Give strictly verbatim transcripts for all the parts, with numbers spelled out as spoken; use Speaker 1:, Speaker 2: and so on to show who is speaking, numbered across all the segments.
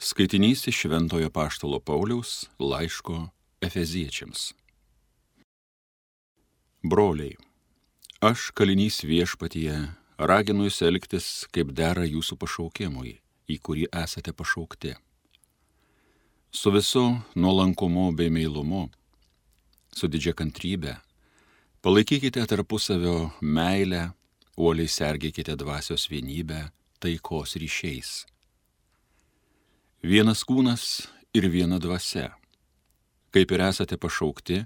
Speaker 1: Skaitinys iš Šventojo Apaštalo Pauliaus laiško Efeziečiams. Broliai, aš kalinys viešpatyje raginu jūs elgtis, kaip dera jūsų pašaukimui, į kurį esate pašaukti. Su visu nuolankumu bei meilumu, su didžia kantrybe, palaikykite tarpusavio meilę, uoliai sergėkite dvasios vienybę taikos ryšiais. Vienas kūnas ir viena dvasia, kaip ir esate pašaukti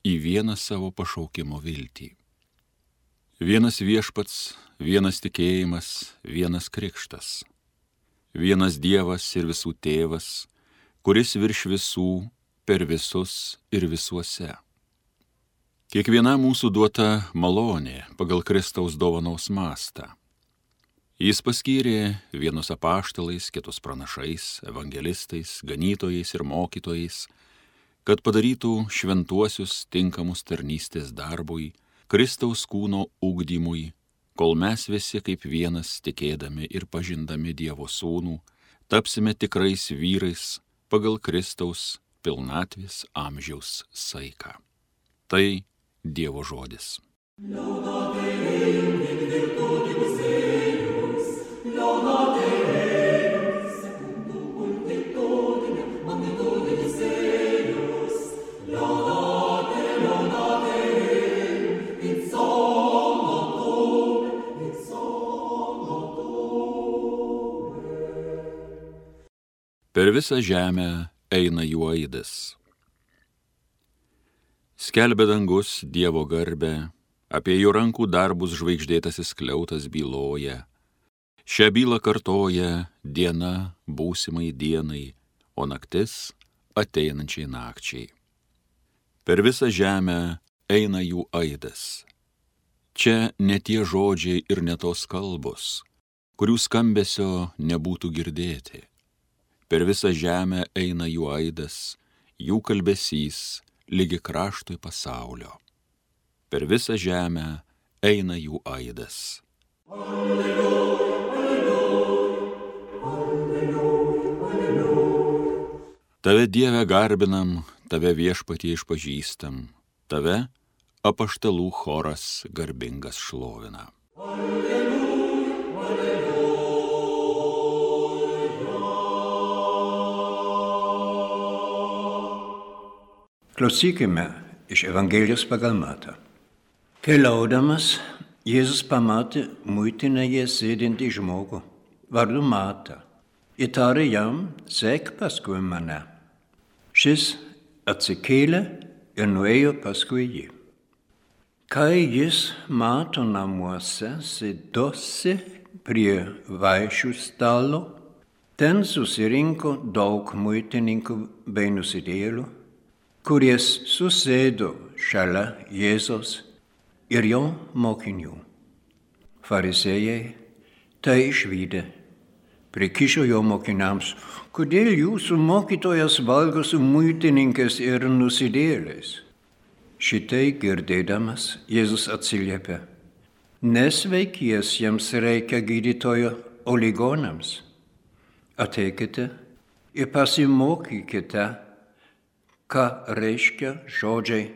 Speaker 1: į vieną savo pašaukimo viltį. Vienas viešpats, vienas tikėjimas, vienas krikštas. Vienas Dievas ir visų tėvas, kuris virš visų, per visus ir visuose. Kiekviena mūsų duota malonė pagal Kristaus dovanos mastą. Jis paskyrė vienus apaštalais, kitus pranašais, evangelistais, ganytojais ir mokytojais, kad padarytų šventuosius tinkamus tarnystės darbui, Kristaus kūno ugdymui, kol mes visi kaip vienas tikėdami ir pažindami Dievo sūnų, tapsime tikrais vyrais pagal Kristaus pilnatvės amžiaus saiką. Tai Dievo žodis. Per visą žemę eina jų aidas. Skelbia dangus Dievo garbę, apie jo rankų darbus žvaigždėtasis skliautas byloja. Šią bylą kartoja diena būsimai dienai, o naktis ateinančiai nakčiai. Per visą žemę eina jų aidas. Čia ne tie žodžiai ir ne tos kalbos, kurių skambesio nebūtų girdėti. Per visą žemę eina jų aidas, jų kalbesys, lygi kraštui pasaulio. Per visą žemę eina jų aidas. Alleluja, alleluja, alleluja, alleluja. Tave Dieve garbinam, tave viešpatie išpažįstam, tave apaštalų choras garbingas šlovina. Alleluja, alleluja.
Speaker 2: Klausykime iš Evangelijos pagal Matą. Keliaudamas, Jėzus pamatė muitinėje sėdintį žmogų, vardu Matą. Įtarė jam, sek paskui mane. Šis atsikėlė ir nuėjo paskui jį. Kai jis Mato namuose sėdosi prie vaišių stalo, ten susirinko daug muitininkų bei nusidėjėlių, kuris susėdo šalia Jėzaus ir jo mokinių. Farizėjai tai išvydę, prikišo jo mokiniams, kodėl jūsų mokytojas valgo su muitininkais ir nusidėjėliais. Šitai girdėdamas Jėzus atsiliepė, nesveikiesiems reikia gydytojo, o ligonams. Ateikite ir pasimokykite, ką reiškia žodžiai,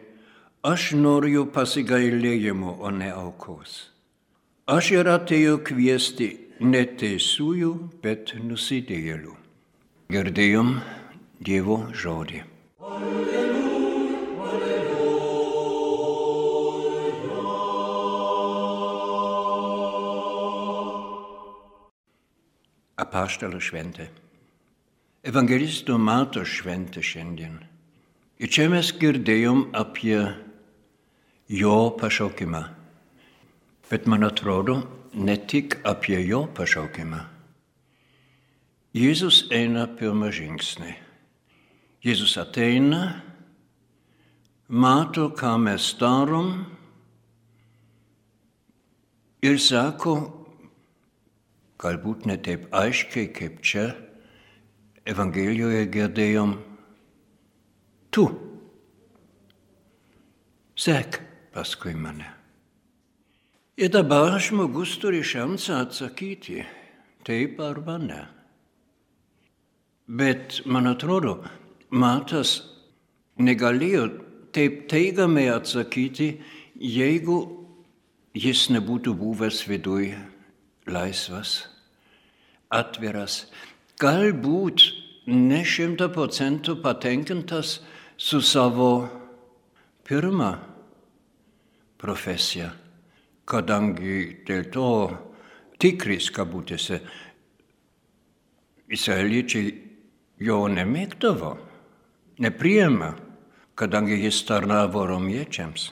Speaker 2: aš noriu pasigailėjimo, o ne aukos. Aš ir atėjau kviesti ne teisiųjų, bet nusidėjėlių. Girdėjom Dievo žodį. Alleluja, alleluja. Apaštalų šventė. Evangelisto Mato šventė šiandien. Ir čia mes girdėjom apie jo pašaukimą. Bet man atrodo, ne tik apie jo pašaukimą. Jėzus eina pirmą žingsnį. Jėzus ateina, mato, ką mes darom ir sako, galbūt ne taip aiškiai, kaip čia Evangelijoje girdėjom, tu, sek paskui mane. Ir dabar žmogus turi šansą atsakyti, taip arba ne. Bet, man atrodo, Matas negalėjo taip teigiamai atsakyti, jeigu jis nebūtų buvęs viduj laisvas, atviras, galbūt ne šimta procentų patenkintas su savo pirma profesija, kadangi dėl to tikris kabutėse izraeliečiai jo nemėgdavo, nepriėmė, kadangi jis tarnavo romiečiams.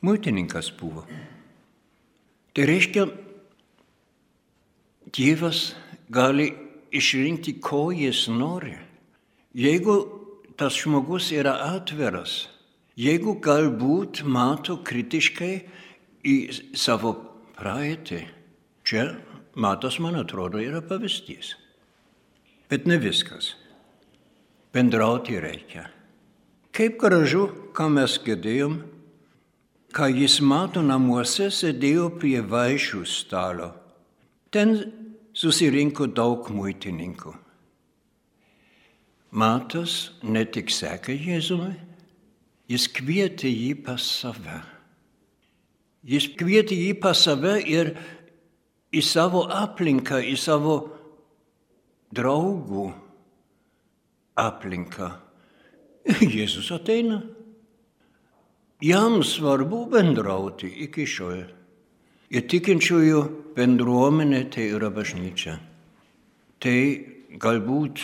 Speaker 2: Muitininkas buvo. Tai reiškia, Dievas gali išrinkti, ko jis nori. Jeigu tas žmogus yra atviras, jeigu galbūt mato kritiškai į savo praeitį, čia Matas, man atrodo, yra pavyzdys. Bet ne viskas. Bendrauti reikia. Kaip gražu, ką mes girdėjom, ką jis mato namuose, sėdėjo prie vaišių stalo. Ten susirinko daug muitininkų. Matas ne tik sekė Jėzumi, jis kvietė jį pas save. Jis kvietė jį pas save ir į savo aplinką, į savo draugų aplinką. Jėzus ateina. Jam svarbu bendrauti iki šiol. Ir tikinčiųjų bendruomenė tai yra bažnyčia. Tai galbūt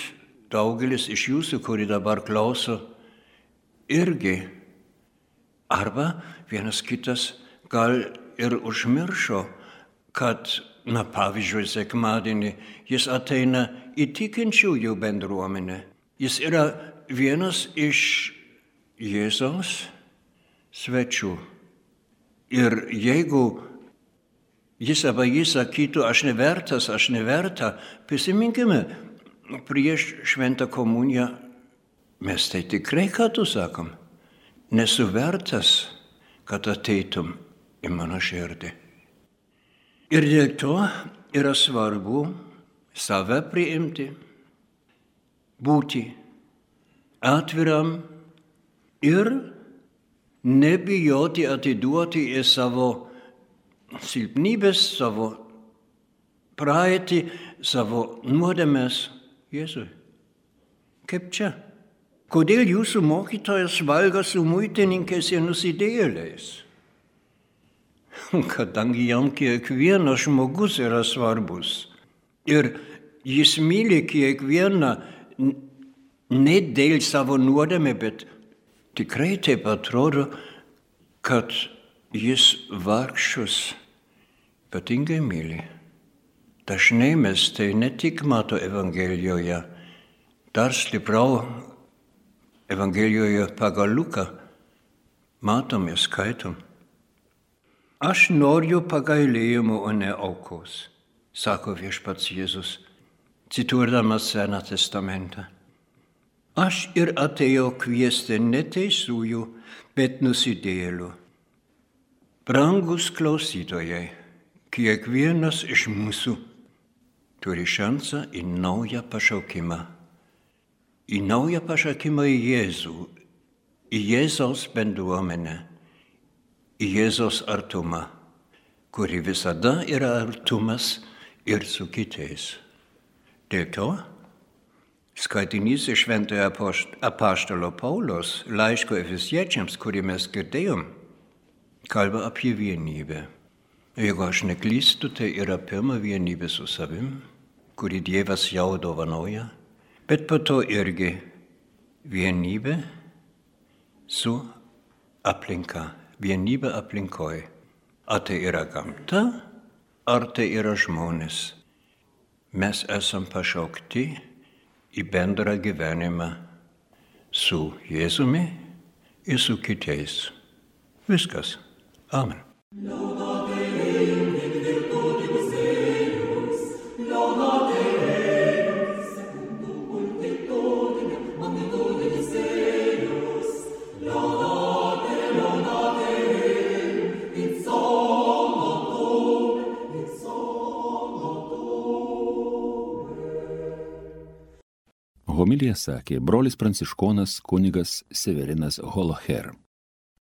Speaker 2: daugelis iš jūsų, kuri dabar klauso, irgi. Arba vienas kitas gal ir užmiršo, kad, na pavyzdžiui, sekmadienį jis ateina į tikinčiųjų bendruomenę. Jis yra vienas iš Jėzaus svečių. Ir jeigu jis arba jis sakytų, aš nevertas, aš neverta, prisiminkime, prieš šventą komuniją mes tai tikrai kartu sakom, nesu vertas, kad ateitum į mano širdį. Ir dėl to yra svarbu save priimti, būti atviram ir nebijoti atiduoti į savo silpnybės, savo praeitį, savo nuodėmes Jėzui. Kaip čia? Kodėl jūsų mokytojas valgo su muitininkais ir nusidėjėliais? Kadangi jam kiekvienas žmogus yra svarbus. Ir jis myli kiekvieną ne dėl savo nuodėmę, bet tikrai taip atrodo, kad jis vargšus ypatingai myli. Dažnai mes tai ne tik mato Evangelijoje, dar stipriau Evangelijoje pagal Luką matom ir skaitom. Aš noriu pagailėjimo, o ne aukos, sako viešpats Jėzus, cituodamas Seną testamentą. Aš ir atėjau kviesti ne teisųjų, bet nusidėjėlių. Brangus klausytojai, kiekvienas iš mūsų turi šansą į naują pašaukimą. Į naują pašaukimą į Jėzų, į Jėzaus bendruomenę, į Jėzaus artumą, kuri visada yra artumas ir su kitais. Dėl to skaitinys iš šventojo apaštalo Pauliaus laiško Efeziečiams, kurį mes girdėjom, kalba apie vienybę. Jeigu aš neklystu, tai yra pirma vienybė su savim, kurį Dievas jau dovanoja, bet po to irgi vienybė su aplinka, vienybė aplinkoj. Ar tai yra gamta, ar tai yra žmonės. Mes esam pašaukti į bendrą gyvenimą su Jėzumi ir su kitais. Viskas. Amen.
Speaker 1: Homiliją sakė brolis pranciškonas kunigas Severinas Holoher.